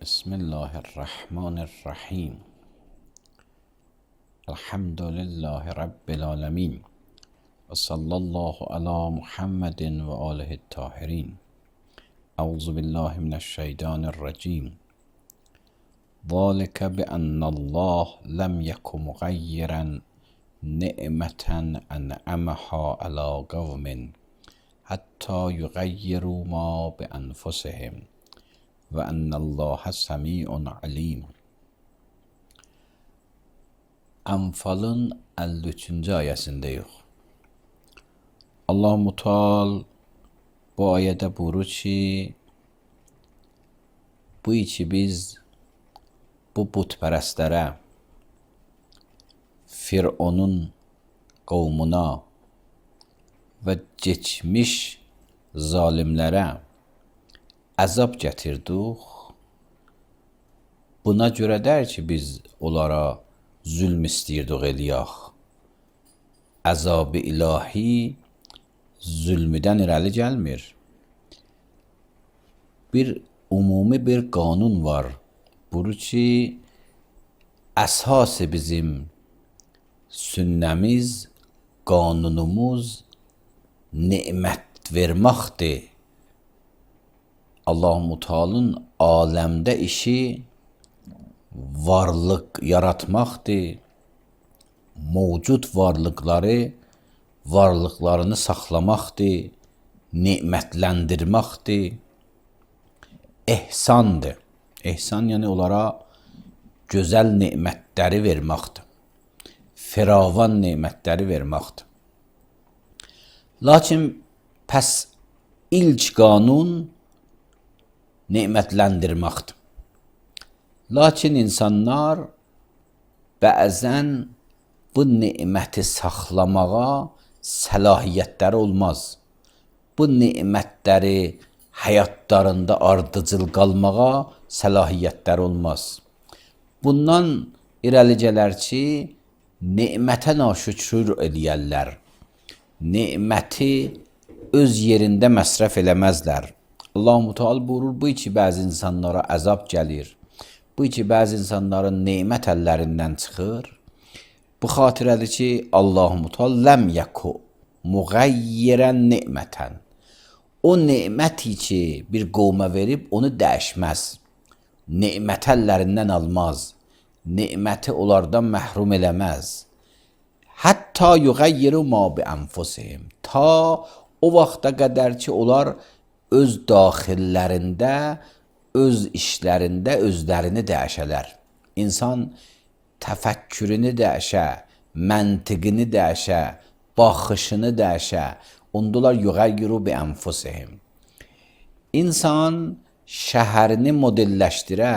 بسم الله الرحمن الرحیم. الحمد لله رب العالمین و صلی الله علی محمد و آله الطاهرین. اعوذ بالله من الشیطان الرجیم. ذلك بأن الله لم یک مغیرا نعمة انعمها على قوم حتی یغیروا ما بانفسهم و ان الله سمیع علیم. Anfalın 53-cü ayəsindəyik. Allah-u Teala bu ayədə buyurur ki, bu iki biz bu putpərəstlərə, Fironun qovmuna və keçmiş zalimlərə əzab gətirdik. Buna görədər ki, biz onlara zülm istəyirdik eləyək. Əzab-ı ilahi zülmüdən irəli gəlmir. Bir ümumi bir qanun var. Buyurur ki, əsas bizim sünnəmiz, qanunumuz nemət verməkdir. Allah-u Teala'nın aləmdə işi varlıq yaratmaqdır. Mevcud varlıqlarını saxlamaqdır, nemətləndirməkdir. İhsandır. İhsan yəni onlara gözəl nemətləri verməkdir. Firavan nemətləri verməkdir. Lakin pəs ilk qanun nemətləndirməkdir. Lakin insanlar bəzən bu neməti saxlamağa səlahiyyətləri olmaz. Bu nemətləri həyatlarında ardıcıl qalmağa səlahiyyətləri olmaz. Bundan irəli gələr ki, nemətə naşükür eləyərlər. Neməti öz yerində məsrəf eləməzlər. Allah-u Teala buyurur, bu ki bəzi insanlara əzab gəlir. Bu ki bəzi insanların nemət əllərindən çıxır. Bu xatirədir ki, Allah-u Teala ləm yəku müğəyyirən nemətən. O neməti ki bir qovma verib, onu dəyişməz. Nemət əllərindən almaz. Neməti onlardan məhrum eləməz. Hətta yuğəyyiru ma bi anfusihim. Ta o vaxta qədər ki, onlar öz daxillərində, öz işlərində özlərini dəyişələr. İnsan təfəkkürünü dəyişə, məntiqini dəyişə, baxışını dəyişə. Ondalar yuğəyyiru bi anfusihim. İnsan şəhərini modelləşdirə,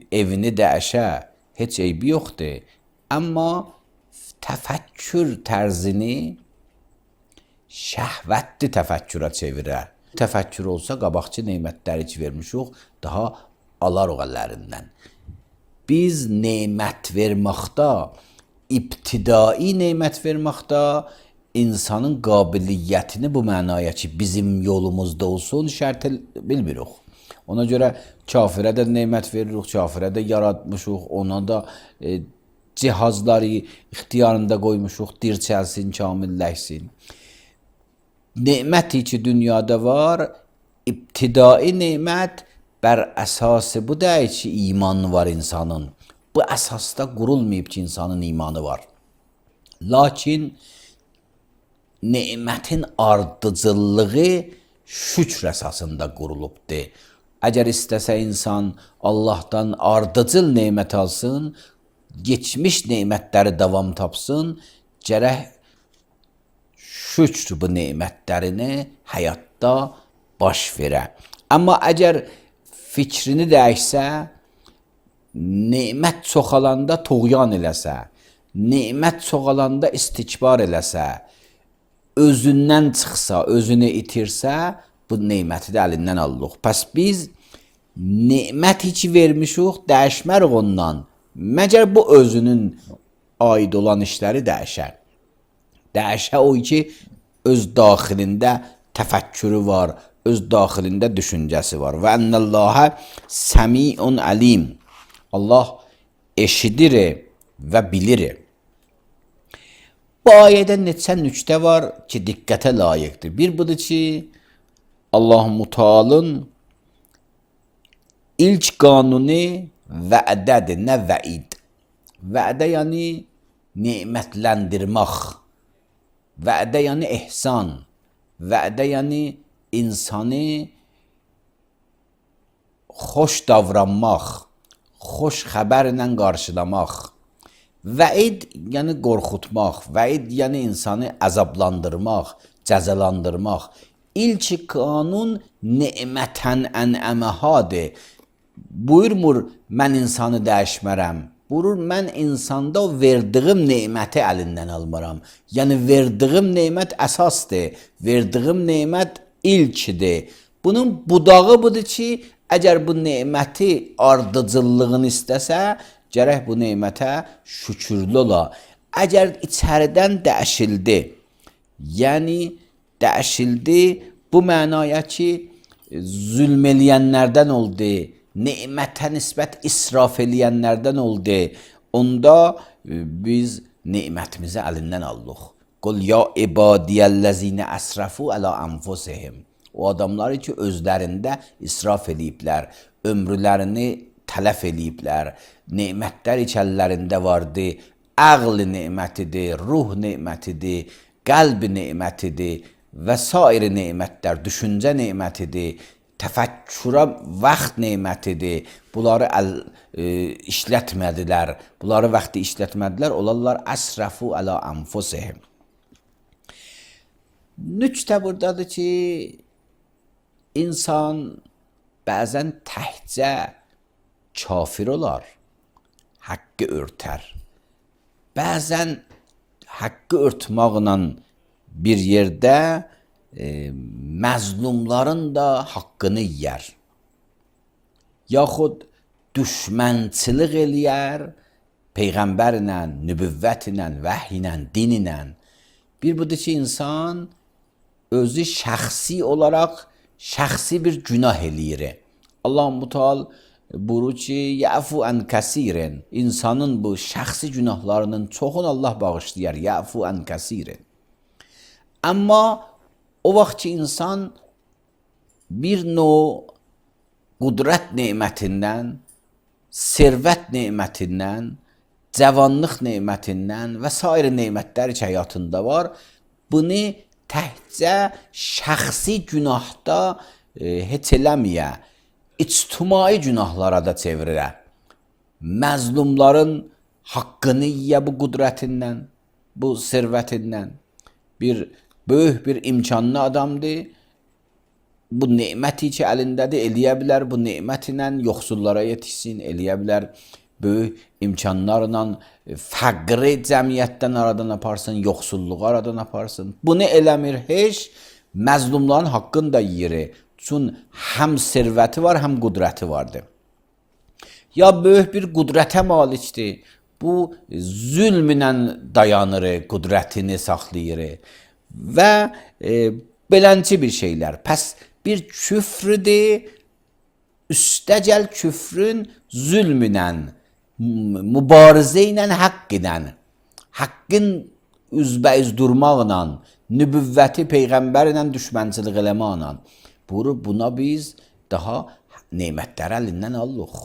evini dəyişə, heç eybi yoxdur. Amma təfəkkür tərzini şəhvətli təfəkkürə çevirər. Təfəkkür olsa, qabaqçı nemətləri ki vermişik, daha alarıq əllərindən. Biz nemət verməkdə, ibtidai nemət verməkdə insanın qabiliyyətini bu mənaya ki, bizim yolumuzda olsun, şərt bilmirik. Ona görə kafirə də nemət veririk, kafirə də yaratmışıq, ona da cihazları ixtiyarında qoymuşuq, dirçəlsin, kamilləşsin. Neməti ki dünyada var, ibtidai nemət bər əsası bu deyil ki, imanı var insanın. Bu əsasda qurulmayıb ki, insanın imanı var. Lakin nemətin ardıcıllığı şükr əsasında qurulubdur. Əgər istəsə insan Allahdan ardıcıl nemət alsın, geçmiş nemətləri davam tapsın, gərək şükr bu nemətlərini həyatda baş verə. Amma əgər fikrini dəyişsə, nemət çoxalanda tuğyan eləsə, nemət çoxalanda istikbar eləsə, özündən çıxsa, özünü itirsə, bu neməti də əlindən alırıq. Pəs biz nemət heç vermişik, dəyişmərik ondan. Məgər bu özünün aid olan işləri dəyişər. Dəyişə o ki, öz daxilində təfəkkürü var, öz daxilində düşüncəsi var. Və ennəllâhə səmi'un əlim. Allah eşidir və bilir. Bu ayədə neçə nüktə var ki, diqqətə layiqdir. Bir budur ki, Allah-u Teala'nın ilk qanuni vədədir, nə vəid. Vədə yəni nemətləndirmək. Vədə yəni ehsan. Vədə yəni insanı xoş davranmaq, xoş xəbərlə qarşılamaq. Vəid yəni qorxutmaq, vəid yəni insanı əzablandırmaq, cəzalandırmaq. İlk qanun nemətən ənəməhadır. Buyurmur, mən insanı dəyişmərəm. Buyurur, mən insanda verdiyim neməti əlindən almaram. Yəni, verdiyim nemət əsasdır, verdiyim nemət ilkdir. Bunun budağı budur ki, əgər bu neməti ardıcıllığını istəsə, gərək bu nemətə şükürlü ola. Əgər içəridən dəyişildi, yəni dəyişildi bu mənaya ki, zülm eləyənlərdən oldu, nemətə nisbət israf eləyənlərdən oldu, onda biz nemətimizi əlindən alırıq. Qul ya ibadiyəllezine əsrafu əla anfusihim. O adamları ki, özlərində israf eləyiblər, ömrülərini tələf eləyiblər, nemətlər içəllərində vardı, əql nemətidir, ruh nemətidir, qəlb nemətidir və sair nemətlər, düşüncə nemətidir, təfəkkürə vaxt nemətidir. Bunları işlətmədilər, bunları vaxtı işlətmədilər, olarlar əsrafu əla anfusihim. Nüktə buradadır ki, insan bəzən təhcə kafir olar, haqqı örtər. Bəzən haqqı örtməklə bir yerdə məzlumların da haqqını yiyər. Yaxud düşmənçilik eləyər, Peyğəmbərlə, nübüvvətlə, vəhiylə, dinlə. Bir budur ki, insan özü şəxsi olaraq şəxsi bir günah eləyir. Allah-u Teala buyurur ki, yəfu ən kəsirin. İnsanın bu şəxsi günahlarının çoxunu Allah bağışlayar. Yəfu ən kəsirin. Amma o vaxt ki, insan bir növ qudrət nemətindən, servət nemətindən, cavanlıq nemətindən və s. nemətlər ki, həyatında var, bunu təhcə şəxsi günahda heç eləməyə, ictimai günahlara da çevirirə. Məzlumların haqqını yiyə bu qudrətindən, bu servətindən. Bir böyük bir imkanlı adamdır, bu neməti ki, əlindədir, eləyə bilər, bu nemətlə yoxsullara yetişsin, eləyə bilər, böyük imkanlarla fəqri cəmiyyətdən aradan aparsın, yoxsulluğu aradan aparsın. Bunu eləmir heç, məzlumların haqqını da yiyir. Çünki həm servəti var, həm qudrəti vardır. Ya böyük bir qudrətə malikdir, bu zülmlə dayanır, qudrətini saxlayır və belənçi bir şeylər. Pəs bir küfrüdür, üstəgəl küfrün zülmlə, mübarizə ilə haqq edən, haqqın üzbəüz durmaqla, nübüvvəti Peyğəmbərlə düşmənçilik eləməklə. Buna biz daha nemətləri əlindən alırıq.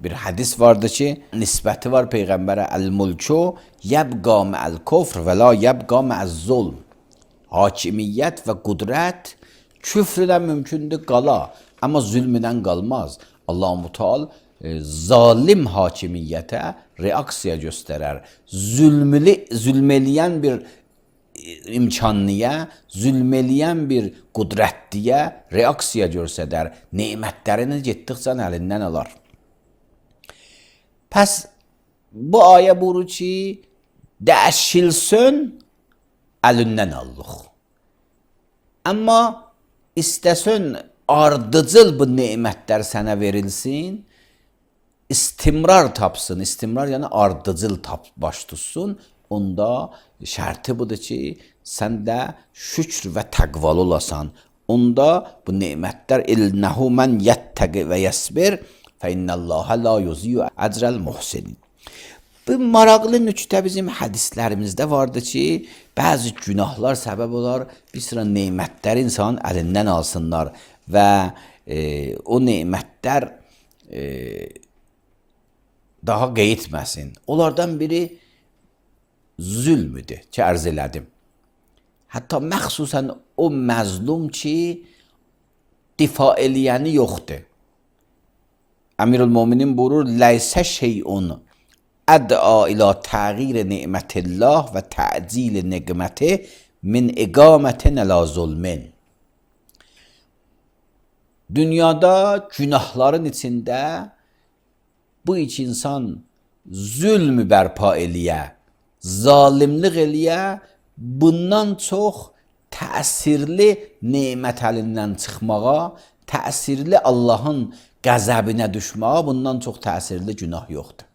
Bir hədis vardı ki, nisbəti var Peyğəmbərə, əl-mulku yəbqa mə'əl-kufr və la yəbqa mə'əz-zulm. Hakimiyyət və qudrət küfrlə mümkündür qala, amma zülmdən qalmaz. Allah-u Teala zalim hakimiyyətə reaksiya göstərər. Zülm eləyən bir imkanlıya, zülm eləyən bir qudrətliyə reaksiya göstərər. Nemətlərini getdikcə əlindən alar. Pəs bu ayə buyurur ki, dəşilsün, əlindən allıq. Amma istəsən ardıcıl bu nemətlər sənə verilsin, istimrar tapsın, istimrar yəni ardıcıl baş tutsun, onda şərti budur ki, sən də şükr və təqvalı olasan. Onda bu nemətlər ilnəhu mən yəttəqi və yəsbir fə innəlləhə la yuziyu əcrəl muhsinin. Bu maraqlı nüktə bizim hədislərimizdə vardı ki, bəzi günahlar səbəb olar, bir sıra nemətlər insanın əlindən alsınlar və o nemətlər daha qeyitməsin. Onlardan biri zülmüdür ki, ərz elədim. Hətta məxsusən o məzlum ki, difa eləyəni yoxdur. Əmirül-Müminin buyurur, ləysə şeyun əd'a ilə təğyir ni'mətillah və tə'cil niqməti min iqamətin əla zulmin. Dünyada günahların içində bu iki insan zülmü bərpa eləyə, zalimlik eləyə, bundan çox təsirli nemət əlindən çıxmağa, təsirli Allahın qəzəbinə düşməyə bundan çox təsirli günah yoxdur.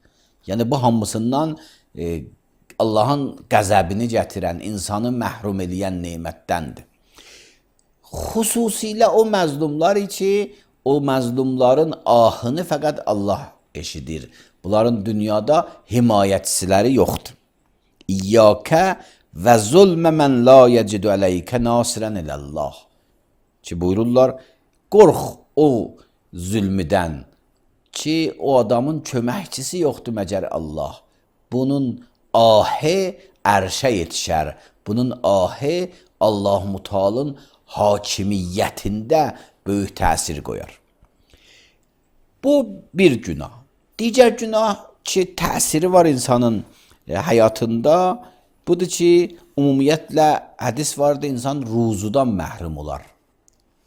Yəni bu hamısından Allahın qəzəbini gətirən, insanı məhrum eləyən nemətdəndir. Xüsusilə o məzlumlar ki, o məzlumların ahını fəqət Allah eşidir. Bunların dünyada himayətçiləri yoxdur. İyyəkə və zulmə mən la yəcidu əleykə nasirən iləllah. Ki buyururlar, qorx o zülmüdən ki, o adamın köməkçisi yoxdur məgər Allah. Bunun ahı ərşə yetişər. Bunun ahı Allah-u Teala'nın hakimiyyətində böyük təsir qoyar. Bu bir günah. Digər günah ki, təsiri var insanın həyatında, budur ki, ümumiyyətlə hədis vardı, insan ruzudan məhrum olar.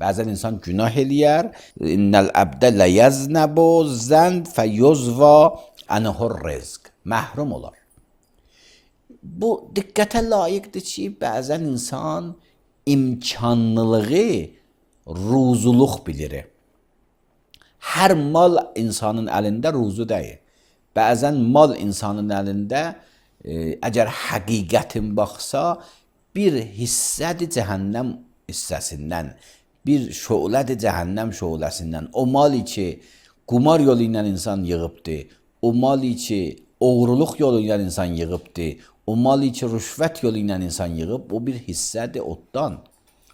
Bəzən insan günah eləyər. İnnəl əbdə ləyəznəbu zənd fəyuzva ənhur rizq. Məhrum olar. Bu diqqətə layiqdir ki, bəzən insan imkanlılığı ruzuluq bilir. Hər mal insanın əlində ruzu deyil. Bəzən mal insanın əlində əgər həqiqətin baxsa, bir hissədir cəhənnəm hissəsindən, bir şölədir cəhənnəm şöləsindən. O mal ki, qumar yolu ilə insan yığıbdır, o mal ki, oğruluq yolu ilə insan yığıbdır, o mal ki, rüşvət yolu ilə insan yığıb, o bir hissədir otdan.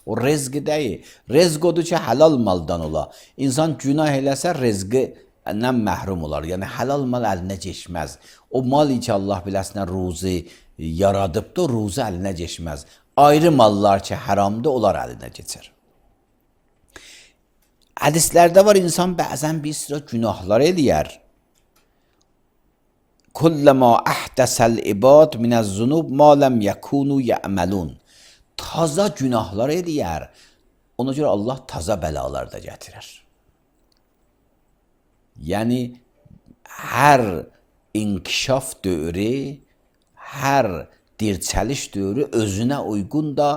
O rezqi deyil. Rezq odur ki, halal maldan ola. İnsan günah eləsə, rezqindən məhrum olar. Yəni, halal mal əlinə keçməz. O mal ki, Allah biləsinə ruzi yaradıbdır, ruzi əlinə keçməz. Ayrı mallar ki, haramdır, onlar əlinə keçər. Hədislərdə var, insan bəzən bir sıra günahlar eləyər. Kulləmə əhdəsəl ibad minəz-zunub ma ləm yəkunu yə'məlun. Taza günahlar eləyər. Ona görə Allah taza bəlalar da gətirər. Yəni, hər inkişaf dövrü, hər dirçəliş dövrü özünə uyğun da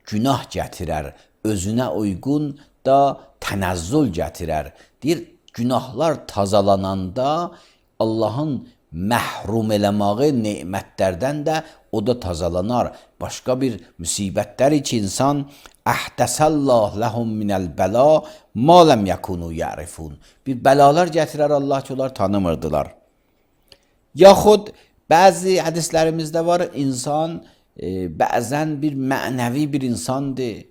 günah gətirər. Özünə uyğun da tənəzzül gətirər. Deyir, günahlar tazalananda Allahın məhrum eləməyi nemətlərdən də o da tazalanar. Başqa bir müsibətlər ki, insan əhdəsəllah ləhum minəl bəla ma ləm yəkunu yərifun. Bir bəlalar gətirər Allah ki, onlar tanımırdılar. Yaxud bəzi hədislərimizdə var, insan bəzən bir mənəvi bir insandır,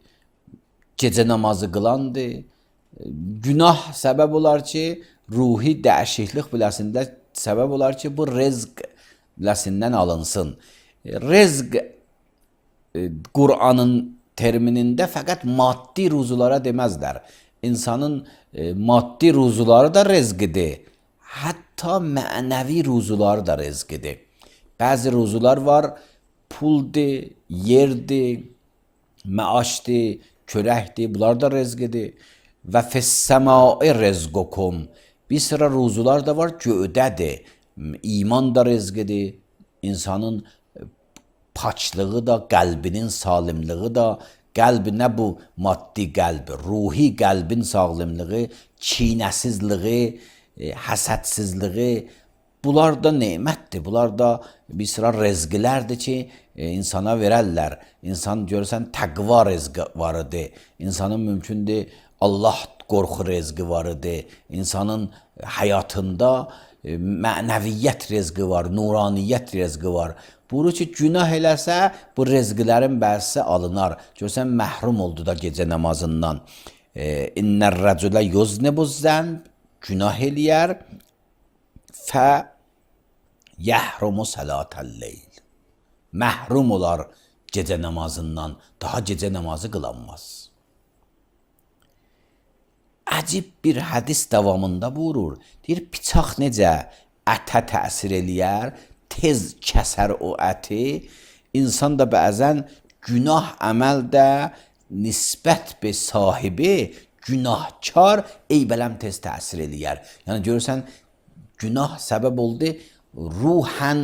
gecə namazı qılandır. Günah səbəb olar ki, ruhi dəyişiklik biləsində səbəb olar ki, bu rezq biləsindən alınsın. Rezq Qur'anın terminində fəqət maddi ruzulara deməzlər. İnsanın maddi ruzuları da rezqidir. Hətta mənəvi ruzuları da rezqidir. Bəzi ruzular var, puldur, yerdir, məaşdır, körəkdir, bunlar da rezqidir. Və fəs-səmai rezqukum. Bir sıra ruzular da var, göydədir. İman da rezqidir, insanın paçlığı da, qəlbinin salimliği da, qəlb nə bu maddi qəlb, ruhi qəlbin sağlamlığı, çiynəsizliği, həsədsizliği, bunlar da nemətdir, bunlar da bir sıra rezqilərdir ki, insana verərlər. İnsan görürsən təqva rezqi var idi, insanın mümkündür Allah qorxu rezqi var idi, insanın həyatında mənəviyyət rezqi var, nuraniyyət rezqi var. Buyurur ki, günah eləsə, bu rezqilərin bəzisi alınar. Görsən, məhrum oldu da gecə namazından. İnnər rəculə yuznibuz zənb, günah eləyər, fə yəhrumu sələtəl-leyl. Məhrum olar gecə namazından, daha gecə namazı qılanmaz. Əcib bir hədis davamında buyurur, deyir, bıçaq necə ətə təsir eləyər, tez kəsər o əti, insan da bəzən günah əməl də nisbət be sahibi, günahkar eybələm tez təsir eləyər. Yəni görürsən, günah səbəb oldu, ruhən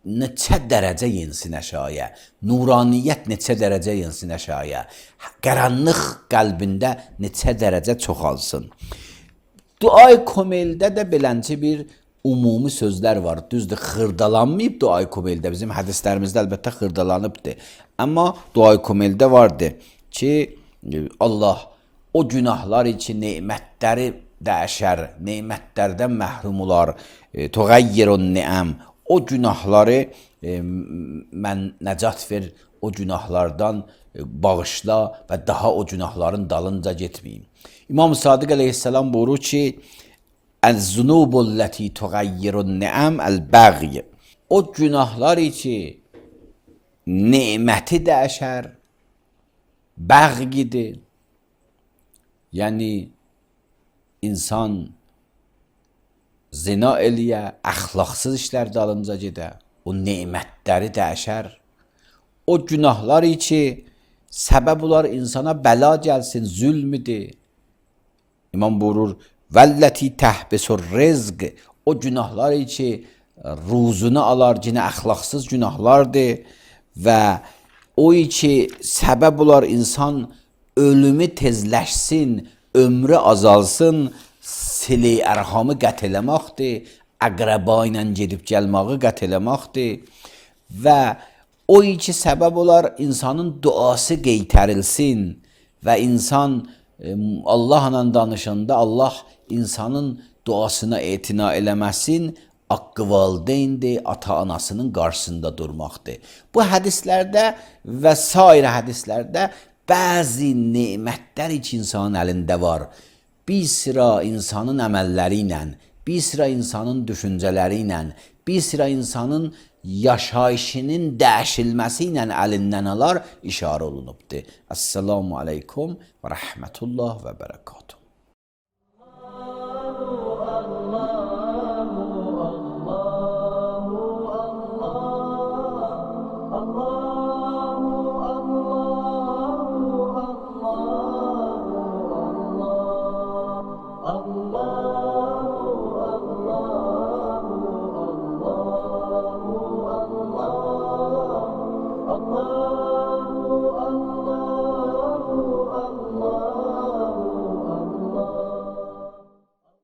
neçə dərəcə yensin əşaya, nuraniyyət neçə dərəcə yensin əşaya, qaranlıq qəlbində neçə dərəcə çoxalsın. Duay Komeldə də belənci bir umumi sözlər var. Düzdür, xırdalanmayıb Duay Komeldə. Bizim hədislərimizdə əlbəttə xırdalanıbdır. Amma Duay Komeldə vardı ki, Allah o günahlar için nemətləri dəyişər, nemətlərdən məhrum olar, tuğayyirun ni'am. O günahları mən nəcat ver, o günahlardan bağışla və daha o günahların dalınca getməyim. İmam Sadiq əleyhissalam buyurur ki, "Əz-zunubul-lati tuğayyirun-ni'am el-baghy." O günahlar ki neməti dəyişər, bəğyidir. Yəni insan zina eləyə, əxlaqsız işlər dalınca gedə, o nemətləri dəyişər. O günahlar ki səbəb olar insana bəla gəlsin, zülmüdür. İmam buyurur, "Vəlləti təhbisur rizq." O günahlar ki ruzunu alar, yenə əxlaqsız günahlardır və o ki səbəb olar insan ölümü tezləşsin, ömrü azalsın, sili ərhamı qət eləməkdir, əqrəba ilə gedib gəlməyi qət eləməkdir və o ki səbəb olar insanın duası qeytərilsin və insan Allahla danışanda Allah insanın duasına etina eləməsin, haqqı valideyndir, ata-anasının qarşısında durmaqdır. Bu hədislərdə və sair hədislərdə bəzi nemətlər ki insanın əlində var. Bir sıra insanın əməlləri ilə, bir sıra insanın düşüncələri ilə, bir sıra insanın yaşayışının dəyişilməsi ilə əlindən alar, işarə olunubdur. Esselamu aleykum və rəhmətullah və bərəkatuhu. Allah